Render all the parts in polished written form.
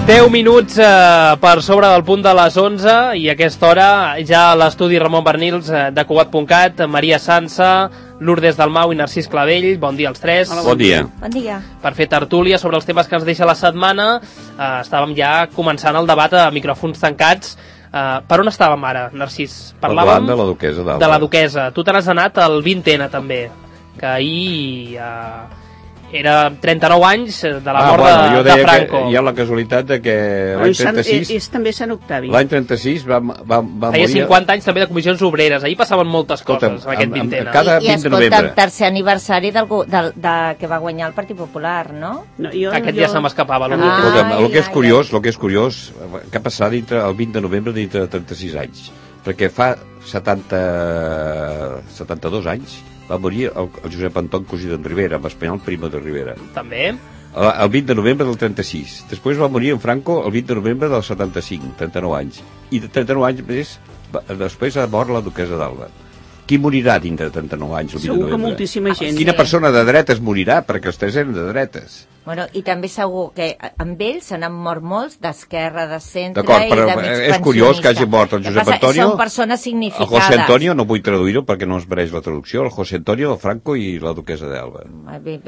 10 minuts per sobre del punt de les 11 i a aquesta hora ja a l'estudi Ramon Bernils de Cugat.cat, Maria Sansa, Lourdes Dalmau i Narcís Clavell. Bon dia als tres. Hola, bon dia. Bon dia. Per fer tertúlia sobre els temes que ens deixa la setmana. Estàvem ja començant el debat a micròfons tancats. Per on estàvem ara, Narcís? Parlàvem de la duquesa d'Alba. De la duquesa. Tu te n'has anat al 20N també, que ahir era 39 anys de la mort de Franco. Hi ha la casualitat de que l'any 36... És també Sant Octavi. L'any 36 va morir... Feia 50 anys també de comissions obreres. Ahir passaven moltes coses en aquest 20N. Cada 20 de novembre. I tercer aniversari que va guanyar el Partit Popular, no? Aquest ja se m'escapava. El que és curiós, què ha passat el 20 de novembre dintre de 36 anys? Perquè fa 72 anys va morir el Josep Anton Cosí d'en Rivera, amb Espanyol Primo de Rivera. També. El 20 de novembre del 36. Després va morir en Franco el 20 de novembre del 75, 39 anys. I de 39 anys més, després ha mort la duquesa d'Alba. Qui morirà dintre de 39 anys? Segur que moltíssima gent. Quina persona de dretes morirà? Perquè els tres eren de dretes. Bueno, i també segur que amb ells se n'han mort molts d'esquerra, de centre i de mig pensionista. És curiós que hagi mort el Josep Antonio. Són persones significades. El José Antonio, no vull traduir-ho perquè no es mereix la traducció, el José Antonio, el Franco i la duquesa d'Alba. A mi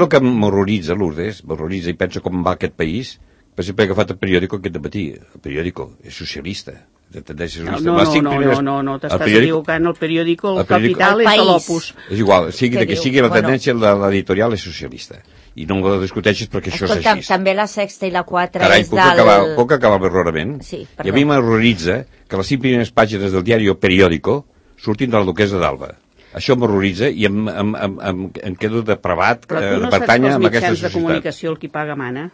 el que m'horroritza, Lourdes, m'horroritza i penso com va aquest país. Per exemple, he agafat el periòdico aquest dematí. El periòdico és socialista. No, t'estàs equivocant. El periòdico, el Capital és de l'Opus. És igual, sigui de que sigui la tendència, l'editorial és socialista. I no ho discuteixis perquè això és així. També la Sexta i la 4 Carai, és del... puc acabar l'errorament? Sí, i a mi m'horroritza que les 5 primeres pàgines del diari o periòdico surtin de la duquesa d'Alba. Això m'horroritza i em quedo depravat de pertànyer a aquesta societat. Però tu no saps que els mitjans de comunicació el qui paga mana?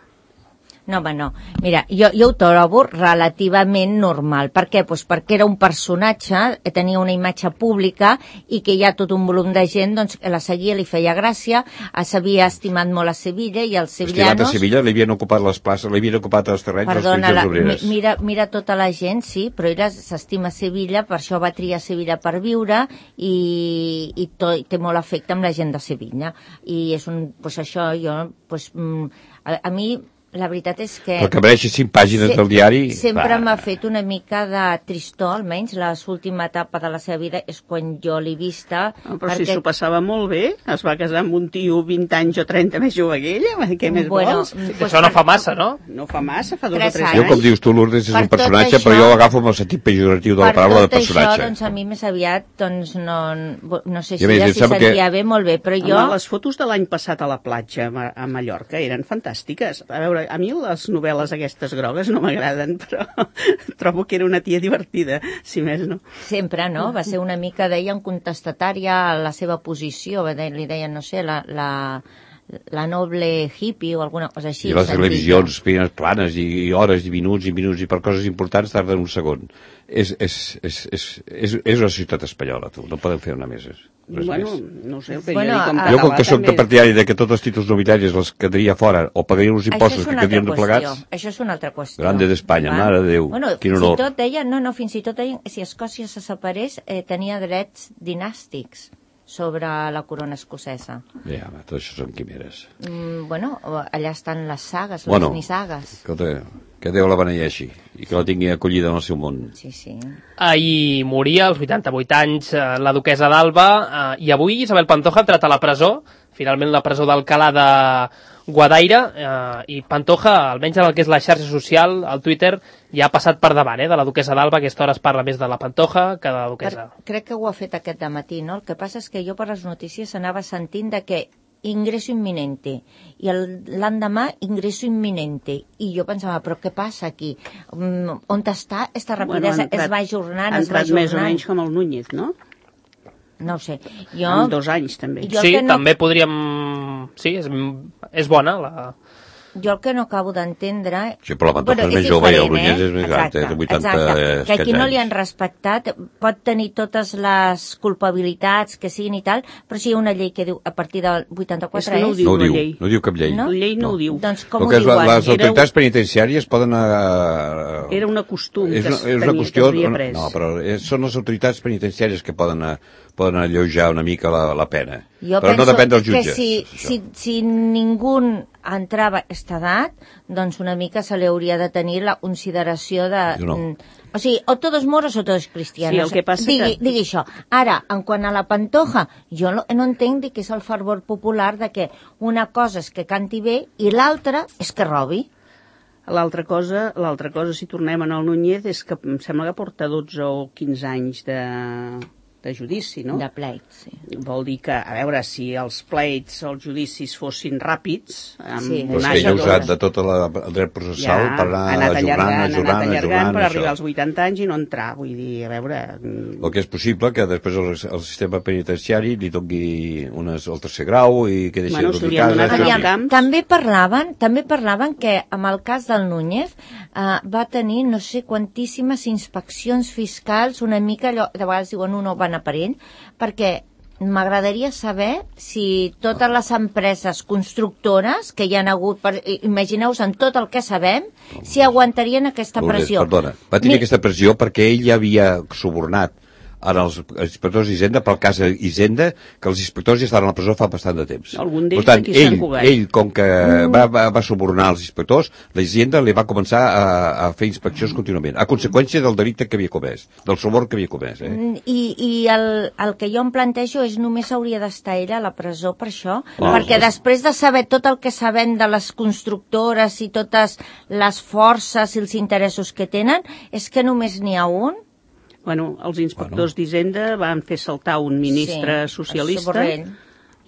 No, home, no. Mira, jo ho trobo relativament normal. Per què? Pues perquè era un personatge, tenia una imatge pública i que hi ha tot un volum de gent doncs, que la seguia, li feia gràcia, s'havia estimat molt a Sevilla i els sevillanos... Estimat a Sevilla, li havien ocupat les places, li havien ocupat els terrenys, perdona, les obreres. Mira tota la gent, sí, però ella s'estima Sevilla, per això va triar Sevilla per viure i té molt afecte amb la gent de Sevilla. I és pues això, jo... Pues, a mi... La veritat és que... Però que mereixi 5 pàgines del diari... Sempre m'ha fet una mica de tristor, almenys l'última etapa de la seva vida és quan jo l'he vista... Però si s'ho passava molt bé, es va casar amb un tio 20 anys o 30 més jove que ella, què més vols? Això no fa massa, no? No fa massa, fa 2 o 3 anys. Jo, com dius tu, Lourdes, és un personatge, però jo l'agafo amb el sentit pejoratiu de la paraula de personatge. Per tot això, doncs a mi més aviat, doncs no sé si ella s'hi sentia bé, molt bé, però jo... Les fotos de l'any passat a la platja a Mallorca eren fantàstiques. A veure, a mi les novel·les aquestes grogues no m'agraden, però trobo que era una tia divertida, si més no. Sempre, no? Va ser una mica, deien, contestatària a la seva posició, li deien, no sé, la noble hippie o alguna cosa així. I les televisions planes i hores i minuts i per coses importants tarden un segon. És una ciutat espanyola, tu, no podem fer una més. Bueno, no sé, el periòdic... Jo, com que soc de partidari que tots els títols nobiliaris els quedaria fora o pagaria uns impostos que quedarien replegats... Això és una altra qüestió. Grande d'Espanya, mare de Déu, quin honor. Fins i tot deia, fins i tot deia, si Escòcia se separés, tenia drets dinàstics sobre la corona escocesa. Ja, tot això són quimeres. Bueno, allà estan les sagues, les nissagues. Escolta, que Déu la beneeixi i que la tingui acollida en el seu món. Sí, sí. Ahir moria, als 88 anys, la duquesa d'Alba, i avui Isabel Pantoja ha entrat a la presó, finalment la presó d'Alcalá de Guadaira, i Pantoja, almenys en el que és la xarxa social, el Twitter, ja ha passat per davant, de la duquesa d'Alba. A aquesta hora es parla més de la Pantoja que de la duquesa. Crec que ho ha fet aquest dematí, no? El que passa és que jo per les notícies anava sentint de que ingreso inminente, i l'endemà ingreso inminente, i jo pensava, però què passa aquí? On està esta rapidesa? Es va ajornant, ha entrat més o menys com el Núñez, no? No ho sé. En 2 anys, també. Sí, també podríem... Sí, és bona la... Jo el que no acabo d'entendre... Sí, però la Pantoja és més jove i el Núñez és més gran, té 80 anys. Que aquí no li han respectat, pot tenir totes les culpabilitats que siguin i tal, però si hi ha una llei que diu a partir del 84 no ho diu, la llei. No diu cap llei. La llei no ho diu. Doncs com ho diuen? Les autoritats penitenciàries poden... Era una costum que s'havia pres. No, però són les autoritats penitenciàries que poden alleujar una mica la pena. Però no depèn dels jutges. Jo penso que si ningú entrava a aquesta edat, doncs una mica se li hauria de tenir la consideració de... O sigui, o todos moros o todos cristianos. Sí, el que passa digui això. Ara, en quant a la Pantoja, jo no entenc que és el fervor popular de que una cosa és que canti bé i l'altra és que robi. L'altra cosa, si tornem en el Núñez, és que em sembla que porta 12 o 15 anys de judici, no? De pleit, sí. Vol dir que, a veure, si els pleits, els judicis fossin ràpids... Sí, però és que ell ha usat de tot el dret processal per anar ajornant, per arribar als 80 anys i no entrar, vull dir, a veure... El que és possible que després el sistema penitenciari li doni el tercer grau i que deixi de casa. També parlaven que amb el cas del Núñez va tenir no sé quantíssimes inspeccions fiscals, una mica allò, de vegades diuen no van aparent, perquè m'agradaria saber si totes les empreses constructores que hi han hagut, imagineu-vos en tot el que sabem, si aguantarien aquesta pressió. Perdona, va tenir aquesta pressió perquè ell ja havia subornat en els inspectors d'Hisenda, pel cas d'Hisenda, que els inspectors ja estaven a la presó fa bastant de temps. Per tant, ell, com que va subornar els inspectors, l'Hisenda li va començar a fer inspeccions contínuament, a conseqüència del delicte que havia comès, del suborn que havia comès. I el que jo em plantejo és només hauria d'estar ella a la presó per això, perquè després de saber tot el que sabem de les constructores i totes les forces i els interessos que tenen, és que només n'hi ha un. Bueno, els inspectors d'Hisenda van fer saltar un ministre socialista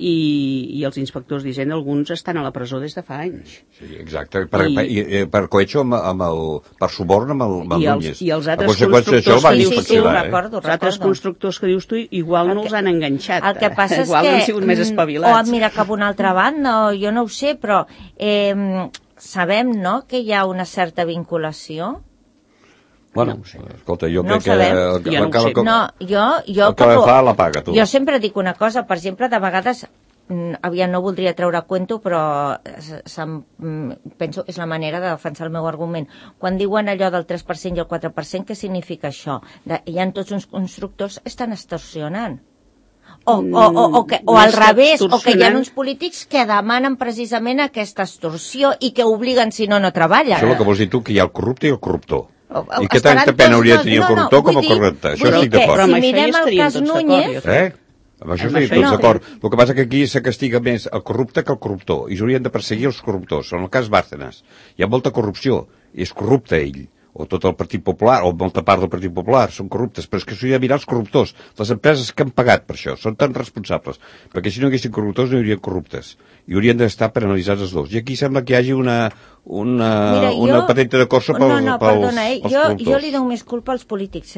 i els inspectors d'Hisenda, alguns estan a la presó des de fa anys. Sí, exacte, per cohecho per suborn amb el Núñez. I els altres constructors que dius tu, els altres constructors que dius tu, igual no els han enganxat. El que passa és que... Igual no han sigut més espavilats. O mira, cap a una altra banda, jo no ho sé, però sabem, no?, que hi ha una certa vinculació. Bueno, escolta, jo crec que... El que fa la paga, tu. Jo sempre dic una cosa, per exemple, de vegades, aviam, no voldria treure a cuento, però penso que és la manera de defensar el meu argument. Quan diuen allò del 3% i el 4%, què significa això? Hi ha tots uns constructors que estan extorsionant. O al revés, o que hi ha uns polítics que demanen precisament aquesta extorsió i que obliguen, si no, no treballen. Això és el que vols dir tu, que hi ha el corrupte i el corruptor. I què tanta pena hauria de tenir el corruptor com el correcte? Això estic d'acord. Si mirem el cas Núñez... Amb això estic tots d'acord. El que passa que aquí se castiga més el corrupte que el corruptor, i s'haurien de perseguir els corruptors. En el cas Bárcenas hi ha molta corrupció, i és corrupte ell, o tot el Partit Popular, o molta part del Partit Popular, són corruptes, però és que s'hauria de mirar els corruptors, les empreses que han pagat per això, són tan responsables, perquè si no haguessin corruptors no hi haurien corruptes, i haurien d'estar penalitzats els dos. I aquí sembla que hi hagi una patenta de corsa pels corruptors. Jo li dono més culpa als polítics,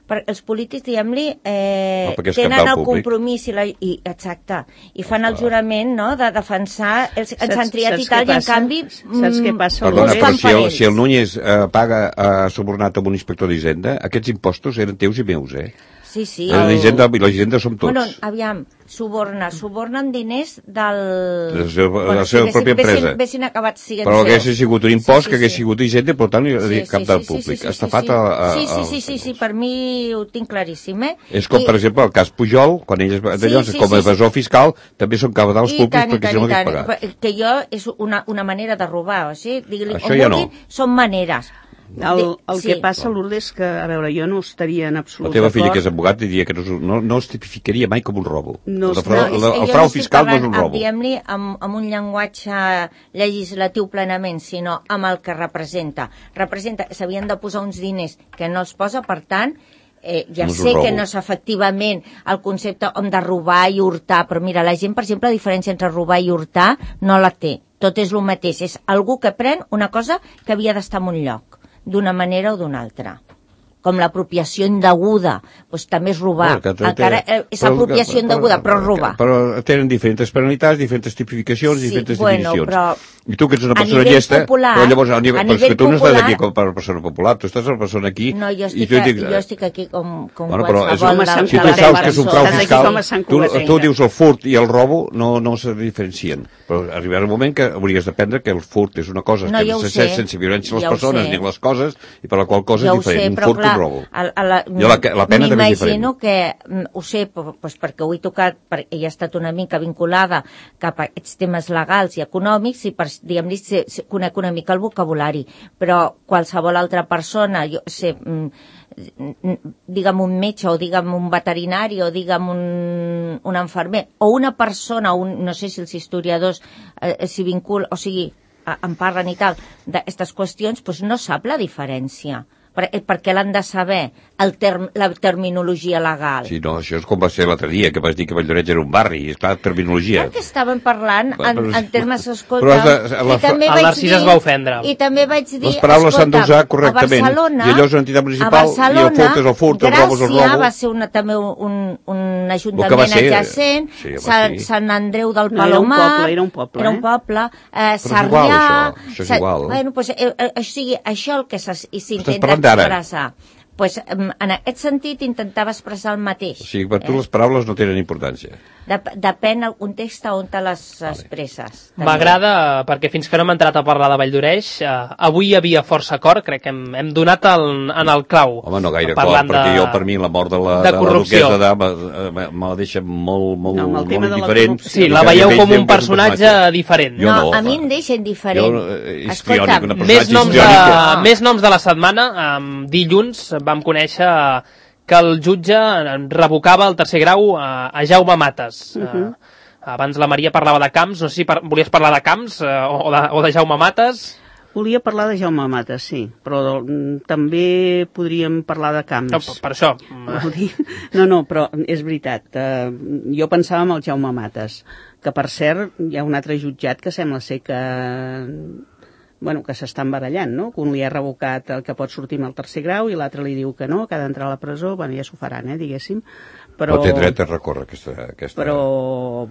perquè els polítics, diguem-li, tenen el compromís exacte, i fan el jurament, no?, de defensar els han triat i tal, i en canvi saps què passa? Perdona, però si el Núñez ha subornat amb un inspector d'Hisenda, aquests impostos eren teus i meus, Sí. La Hisenda som tots. Bueno, aviam, subornen diners de la seva pròpia empresa. Però hagués sigut un impost que hagués sigut Hisenda, per tant, cap del públic. Estafat Sí, per mi ho tinc claríssim, És com, per exemple, el cas Pujol, quan ell com a evasor fiscal, també són cabals públics perquè si no hagués pagat. Que jo és una manera de robar, o sigui, això ja no. Són maneres. El que passa, Lourdes, és que, a veure, jo no estaria en absolut d'acord. La teva filla, que és advocat, diria que no es tipificaria mai com un robo. El frau fiscal no és un robo. Diguem-li amb un llenguatge legislatiu plenament, sinó amb el que representa. S'havien de posar uns diners que no els posa, per tant, ja sé que no és efectivament el concepte de robar i hurtar, però mira, la gent, per exemple, la diferència entre robar i hurtar no la té. Tot és el mateix. És algú que pren una cosa que havia d'estar en un lloc, d'una manera o d'una altra. Com l'apropiació indeguda, doncs també és robar. Encara és apropiació indeguda, però és robar. Però tenen diferents penalitats, diferents tipificacions, diferents definicions. I tu que ets una persona llesta, però llavors, que tu no estàs aquí com a persona popular, tu estàs una persona aquí... No, jo estic aquí com qualsevol... Si tu saps que és un frau fiscal, tu dius el furt i el robo no se diferencien. Però arribarà un moment que hauries d'aprendre que el furt és una cosa que no se sent sense violència a les persones ni a les coses, i per la qual cosa és diferent. Un furt robo. Jo la pena també és diferent. M'imagino que, ho sé, doncs perquè ho he tocat, perquè he estat una mica vinculada cap a aquests temes legals i econòmics i, diguem-ne, conec una mica el vocabulari, però qualsevol altra persona, jo sé, digue'm un metge o digue'm un veterinari o digue'm un infermer o una persona, no sé si els historiadors s'hi vinculen, o sigui, en parlen i tal, d'aquestes qüestions, doncs no sap la diferència. Perquè l'han de saber, la terminologia legal. Sí, no, això és com va ser l'altre dia, que vas dir que Valldoreix era un barri, és clar, terminologia. Perquè estàvem parlant en termes, escolta... El Narcís es va ofendre. I també vaig dir, les paraules s'han d'usar correctament. I allò és una entitat municipal, i el furt és el furt, el robo és el robo. Gràcia va ser també un ajuntament adjacent, Sant Andreu del Palomar... Era un poble. Era un poble. Sarrià... Això és igual. Bueno, doncs, això el que s'intenta expressar. Pues, en aquest sentit intentava expressar el mateix. O sigui, per tu les paraules no tenen importància. Depèn el context on te les expresses. M'agrada, perquè fins que no hem entrat a parlar de Valldoreix, avui hi havia força acord, crec que hem donat en el clau. Home, no gaire acord, perquè jo, per mi, la mort de la duquesa d'Alba me la deixa molt diferent. Sí, la veieu com un personatge diferent. No, a mi em deixa indiferent. Escolta'm, més noms de la setmana. Dilluns vam conèixer que el jutge revocava el tercer grau a Jaume Matas. Abans la Maria parlava de Camps, no sé si volies parlar de Camps o de Jaume Matas. Volia parlar de Jaume Matas, sí, però també podríem parlar de Camps. No, per això. No, però és veritat. Jo pensava en el Jaume Matas, que per cert hi ha un altre jutjat que sembla ser que s'estan barallant, no? Que un li ha revocat el que pot sortir amb el tercer grau i l'altre li diu que no, que ha d'entrar a la presó. Bueno, ja s'ho faran, diguéssim. Però té dret a recórrer aquesta... Però,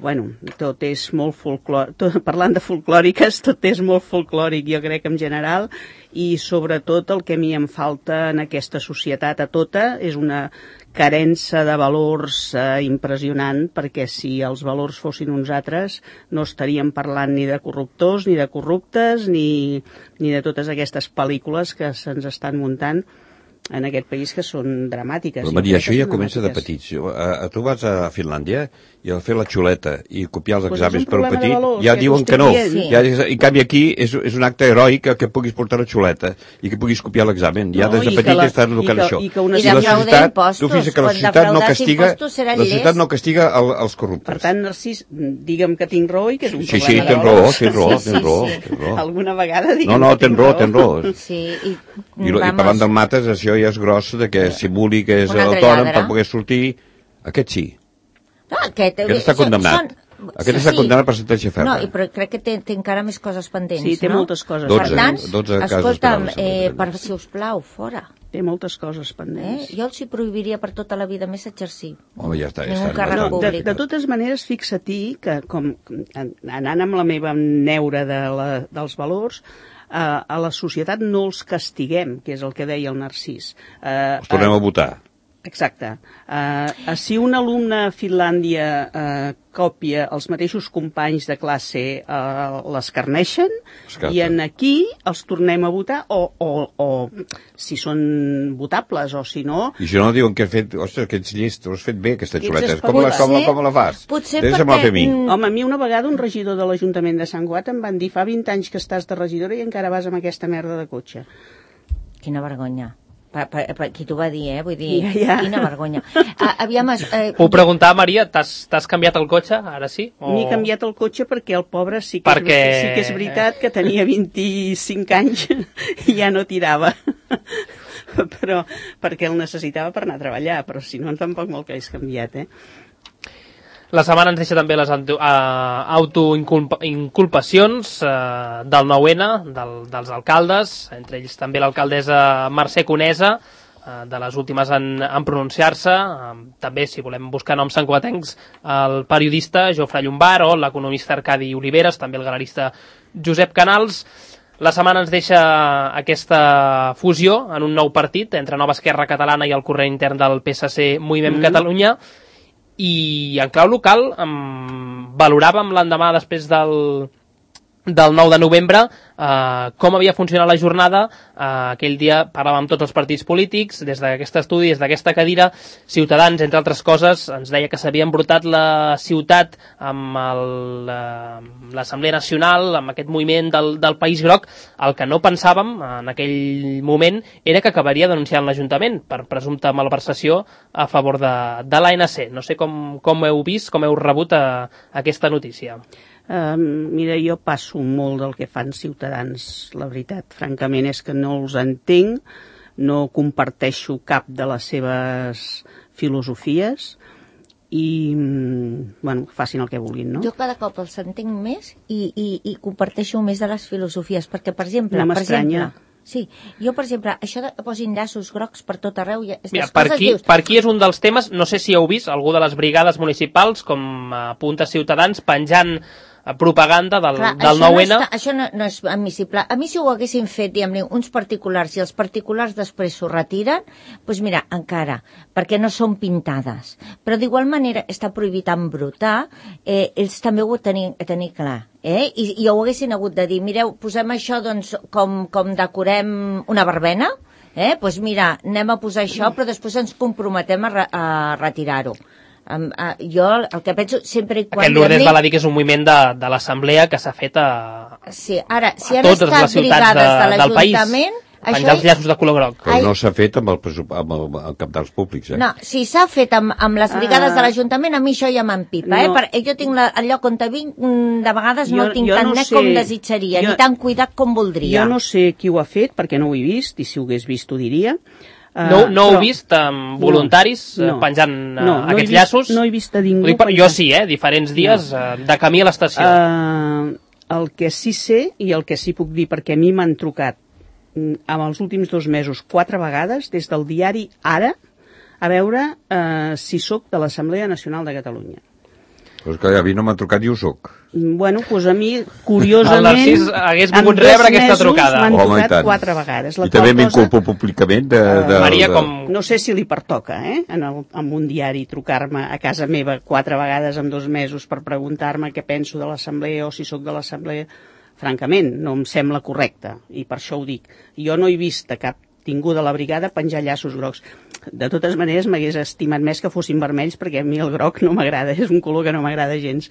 tot és molt folclòric. Parlant de folclòriques, tot és molt folclòric, jo crec, en general, i sobretot el que a mi em falta en aquesta societat a tota és una carència de valors impressionant, perquè si els valors fossin uns altres no estaríem parlant ni de corruptors, ni de corruptes, ni de totes aquestes pel·lícules que se'ns estan muntant en aquest país que són dramàtiques. Però Maria, això ja comença de petits. Tu vas a Finlàndia i al fer la xuleta i copiar els exàmens per un petit, ja diuen que no. En canvi aquí és un acte heroic que puguis portar la xuleta i que puguis copiar l'examen. Ja des de petit estàs educant això. I defraudar impostos. Tu fixa't que la societat no castiga els corruptes. Per tant, Narcís, digue'm que tinc raó i que és un problema de valors. Sí, tens raó. Alguna vegada digue'm No, tens raó. I parlant del Matas, això ja és gros de que simuli que és autònom per poder sortir. Aquest sí. Aquest està condemnat. Aquest està condemnat per sentència ferma. No, però crec que té encara més coses pendents. Sí, té moltes coses. 12 casos escolta'm, si us plau, fora. Té moltes coses pendents. Jo els hi prohibiria per tota la vida més exercir. Home, ja està. De totes maneres, fixa-t'hi que, anant amb la meva neura dels valors, a la societat no els castiguem, que és el que deia el Narcís. Els tornem a votar. Exacte. Si un alumne a Finlàndia còpia els mateixos companys de classe, l'escarneixen, i en aquí els tornem a votar, o si són votables, o si no... I si no diuen que has fet, ostres, que ets llest, ho has fet bé, aquesta xuleta. Com la fas? Potser perquè... Home, a mi una vegada un regidor de l'Ajuntament de Sant Cugat em van dir, fa 20 anys que estàs de regidora i encara vas amb aquesta merda de cotxe. Quina vergonya. Qui t'ho va dir, vull dir, quina vergonya. Puc preguntar, Maria, t'has canviat el cotxe, ara sí? M'he canviat el cotxe perquè el pobre sí que és veritat que tenia 25 anys i ja no tirava. Però perquè el necessitava per anar a treballar, però si no tampoc me'l hagués canviat, La setmana ens deixa també les autoinculpacions del 9-N, dels alcaldes, entre ells també l'alcaldessa Mercè Conesa, de les últimes en pronunciar-se. També, si volem buscar noms santcugatencs, el periodista Jofre Llombart o l'economista Arcadi Oliveres, també el galerista Josep Canals. La setmana ens deixa aquesta fusió en un nou partit entre Nova Esquerra Catalana i el corrent intern del PSC Moviment Catalunya. I en clau local valoràvem l'endemà després del del 9 de novembre, com havia funcionat la jornada. Aquell dia parlàvem amb tots els partits polítics, des d'aquest estudi, des d'aquesta cadira. Ciutadans, entre altres coses, ens deia que s'havia embrutat la ciutat amb l'Assemblea Nacional, amb aquest moviment del País Groc. El que no pensàvem en aquell moment era que acabaria denunciant l'Ajuntament per presumpta malversació a favor de l'ANC. No sé com heu vist, com heu rebut aquesta notícia. Mira, jo passo molt del que fan Ciutadans, la veritat. Francament és que no els entenc, no comparteixo cap de les seves filosofies i, bueno, facin el que vulguin, no? Jo cada cop els entenc més i comparteixo més de les filosofies, perquè, per exemple... No m'estranya. Sí, jo, per exemple, això de posin llaços grocs per tot arreu... Mira, per aquí és un dels temes, no sé si heu vist algú de les brigades municipals, com apunta Ciutadans, penjant propaganda del 9-N. Això no és admissible. A mi, si ho haguessin fet, diguem-ne, uns particulars, i els particulars després s'ho retiren, doncs mira, encara, perquè no són pintades. Però d'igual manera està prohibit embrutar, ells també ho tenir clar. I ho haguessin hagut de dir, mireu, posem això doncs, com decorem una verbena, doncs mira, anem a posar això, però després ens comprometem a retirar-ho. Jo el que penso sempre i quan... Aquest Lourdes val a dir que és un moviment de l'Assemblea que s'ha fet a totes les ciutats del país, penjar els llaços de color groc. Però no s'ha fet amb el cabdals públics, No, si s'ha fet amb les brigades de l'Ajuntament, a mi això ja m'empipa, jo tinc el lloc on vinc, de vegades no el tinc tan net com desitjaria, ni tan cuidat com voldria. Jo no sé qui ho ha fet, perquè no ho he vist, i si ho hagués vist ho diria. No heu vist voluntaris penjant aquests llaços? No he vist a ningú. Jo sí, diferents dies de camí a l'estació. El que sí sé i el que sí puc dir, perquè a mi m'han trucat en els últims 2 mesos 4 vegades des del diari Ara a veure si sóc de l'Assemblea Nacional de Catalunya. Pues que a mi no m'han trucat i ho soc. Bueno, doncs a mi, curiosament... El Narcís hagués volgut rebre aquesta trucada. M'han trucat 4 vegades. I també m'inculpo públicament de... Maria, com... No sé si li pertoca, en un diari trucar-me a casa meva 4 vegades en 2 mesos per preguntar-me què penso de l'Assemblea o si sóc de l'Assemblea. Francament, no em sembla correcte, i per això ho dic. Jo no he vist a cap tingut de la brigada penjar llaços grocs. De totes maneres, m'hagués estimat més que fossin vermells, perquè a mi el groc no m'agrada, és un color que no m'agrada gens.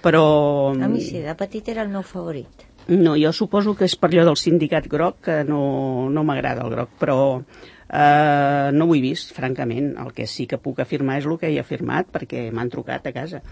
Però... A mi sí, de petit era el meu favorit. No, jo suposo que és per allò del sindicat groc, que no m'agrada el groc, però no ho he vist, francament. El que sí que puc afirmar és el que he afirmat, perquè m'han trucat a casa.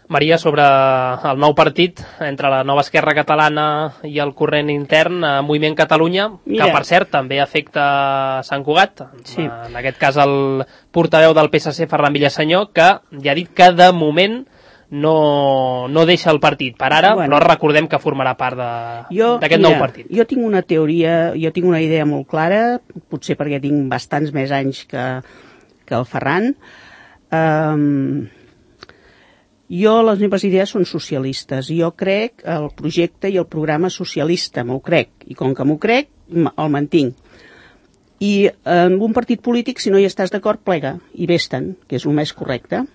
Maria, sobre el nou partit entre la nova Esquerra Catalana i el corrent intern, Moviment Catalunya, que per cert també afecta Sant Cugat, sí. En aquest cas el portaveu del PSC, Ferran Villasenyor, que ja ha dit que de moment no deixa el partit per ara, però recordem que formarà part d'aquest nou partit. Jo tinc una teoria, jo tinc una idea molt clara, potser perquè tinc bastants més anys que el Ferran. Les meves idees són socialistes. Jo crec el projecte i el programa socialista, m'ho crec. I com que m'ho crec, el mantinc. I en un partit polític, si no hi estàs d'acord, plega i vés-te'n, que és el més correcte.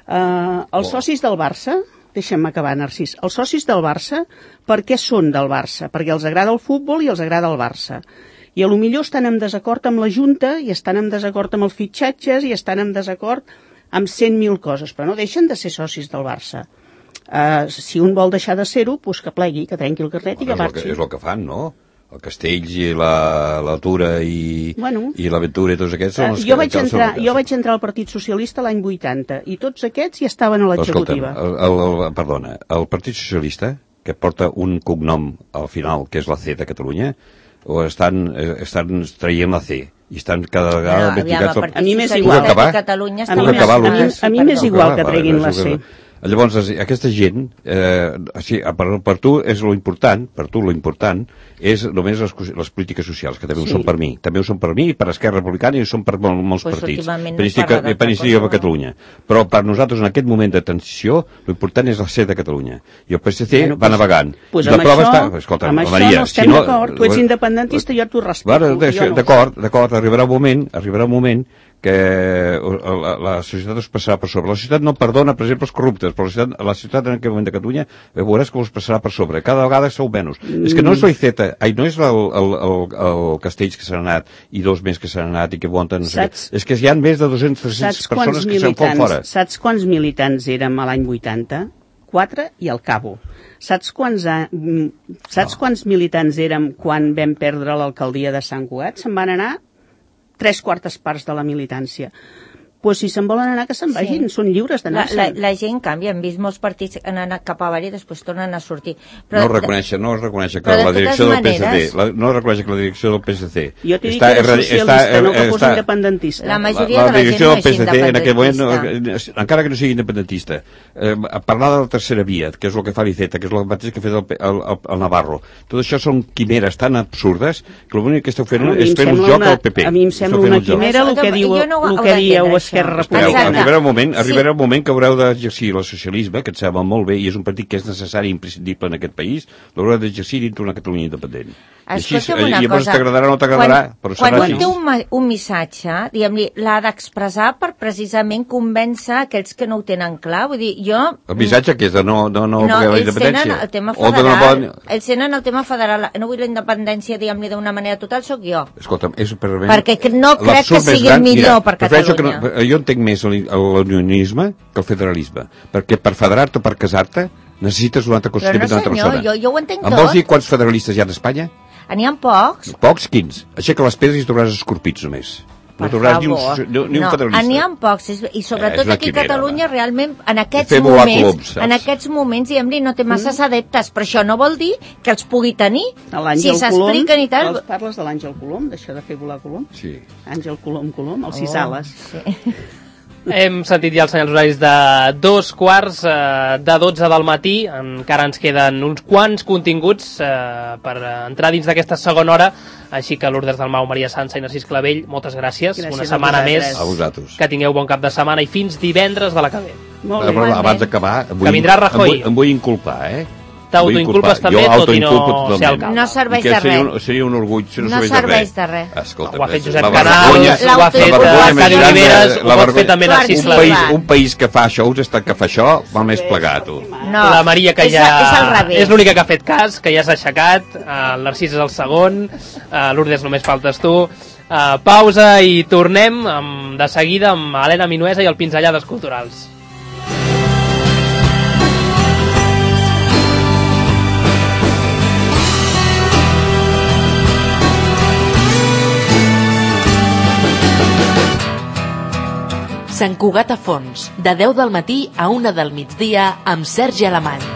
Els socis del Barça, deixa'm acabar, Narcís, els socis del Barça, per què són del Barça? Perquè els agrada el futbol i els agrada el Barça. I potser estan en desacord amb la Junta, i estan en desacord amb els fitxatges, i estan en desacord amb 100.000 coses, però no deixen de ser socis del Barça. Si un vol deixar de ser-ho, doncs que plegui, que trenqui el carnet i que marxi. És el que fan, no? El Castells i la Tura i l'Aventura i tots aquests són els jo vaig entrar al Partit Socialista l'any 80 i tots aquests ja estaven a l'executiva. Perdona, el Partit Socialista, que porta un cognom al final, que és la C de Catalunya, o estan traient la C i estan cada vegada ben picats. A mi m'és igual. A mi m'és igual que treguin la C. Llavors, aquesta gent, per tu és lo important, és només les polítiques socials, que també ho són per mi. També ho són per mi i per Esquerra Republicana i ho són per molts partits. Per Iniciativa per Catalunya. Però per nosaltres, en aquest moment de transició, l'important és la C de Catalunya. I el PSC va navegant. Amb això no estem d'acord. Tu ets independentista i jo t'ho respecto. D'acord, arribarà un moment que la societat us passarà per sobre. La societat no perdona, per exemple, els corruptes, però la societat en aquest moment de Catalunya veuràs que us passarà per sobre. Cada vegada sou menys. És que no és l'Iceta, no és el Castells que s'han anat i 2 més que s'han anat i que voten, no sé què. És que hi ha més de 200-300 persones que se'n fan fora. Saps quants militants érem a l'any 80? 4 i al cabo. Saps quants militants érem quan vam perdre l'alcaldia de Sant Cugat? Se'n van anar 3/4 parts de la militància. Pues si se'n volen anar, que se'n vagin, són lliures d'anar-se'n. La gent canvia, hem vist molts partits que han anat cap avall i després tornen a sortir. Però, no es reconeix que la direcció del PSC, no es reconeix que la direcció del PSC... Jo t'he dit que era socialista, no que fos independentista. La majoria de la gent no és independentista. En aquell moment, encara que no sigui independentista, parlar de la tercera via, que és el que fa l'Iceta, que és el mateix que ha fet el Navarro, tot això són quimeres tan absurdes que l'únic que esteu fent és fer un joc al PP. A mi em sembla una quimera el que dieu Esquerra Republicana. Arribarà un moment que haureu d'exercir el socialisme, que et sembla molt bé, i és un partit que és necessari i imprescindible en aquest país, l'haureu d'exercir dintre una Catalunya independent. Escolta'm una cosa, t'agradarà o no t'agradarà, però serà així. Quan té un missatge, diguem-li, l'ha d'expressar per precisament convèncer aquells que no ho tenen clar. Vull dir, jo... El missatge que és de no voler la independència? El tema federal. Ells tenen el tema federal. No vull la independència, diguem-li, d'una manera total, sóc jo. Escolta'm, és perquè no crec que sigui el millor per Catalunya. Jo entenc més l'unionisme que el federalisme, perquè per federar-te o per casar-te necessites un altre concepte d'una altra persona. Jo ho entenc tot. Em vols dir quants federalistes hi ha a Espanya? N'hi ha pocs. Pocs? Quins? Aixeca les pedres i trobaràs escorpits només. No trobaràs ni un federalista. N'hi ha pocs, i sobretot aquí a Catalunya realment en aquests moments diguem-li, no té masses adeptes, però això no vol dir que els pugui tenir si s'expliquen i tal. Parles de l'Àngel Colom, d'això de fer volar Colom? Sí. Àngel Colom, el sis ales. Sí. Hem sentit ja els senyals horaris de 2:15 de 12 del matí. Encara ens queden uns quants continguts per entrar dins d'aquesta segona hora. Així que Lourdes Dalmau, Maria Sança i Narcís Clavell, moltes gràcies. Una setmana més. A vosaltres. Que tingueu bon cap de setmana i fins divendres de la que ve. Molt bé. Abans d'acabar, que vindrà Rajoy. Em vull inculpar, T'autoinculpes també, tot i no ser alcalde. No serveix de res. Seria un orgull si no serveix de res. Escolta, ho ha fet Josep Canal, ho ha fet Cari Oliveres, ho pot fer també Narcís Clavell. Un país que fa això, un estat que fa això, va més plegat, tu. La Maria, que ja és l'única que ha fet cas, que ja s'ha aixecat, el Narcís és el segon, Lourdes només faltes tu. Pausa i tornem de seguida amb Helena Minuesa i el Pinzellades Culturals. Sant Cugat a Fons, de 10 del matí a 1 del migdia amb Sergi Alemany.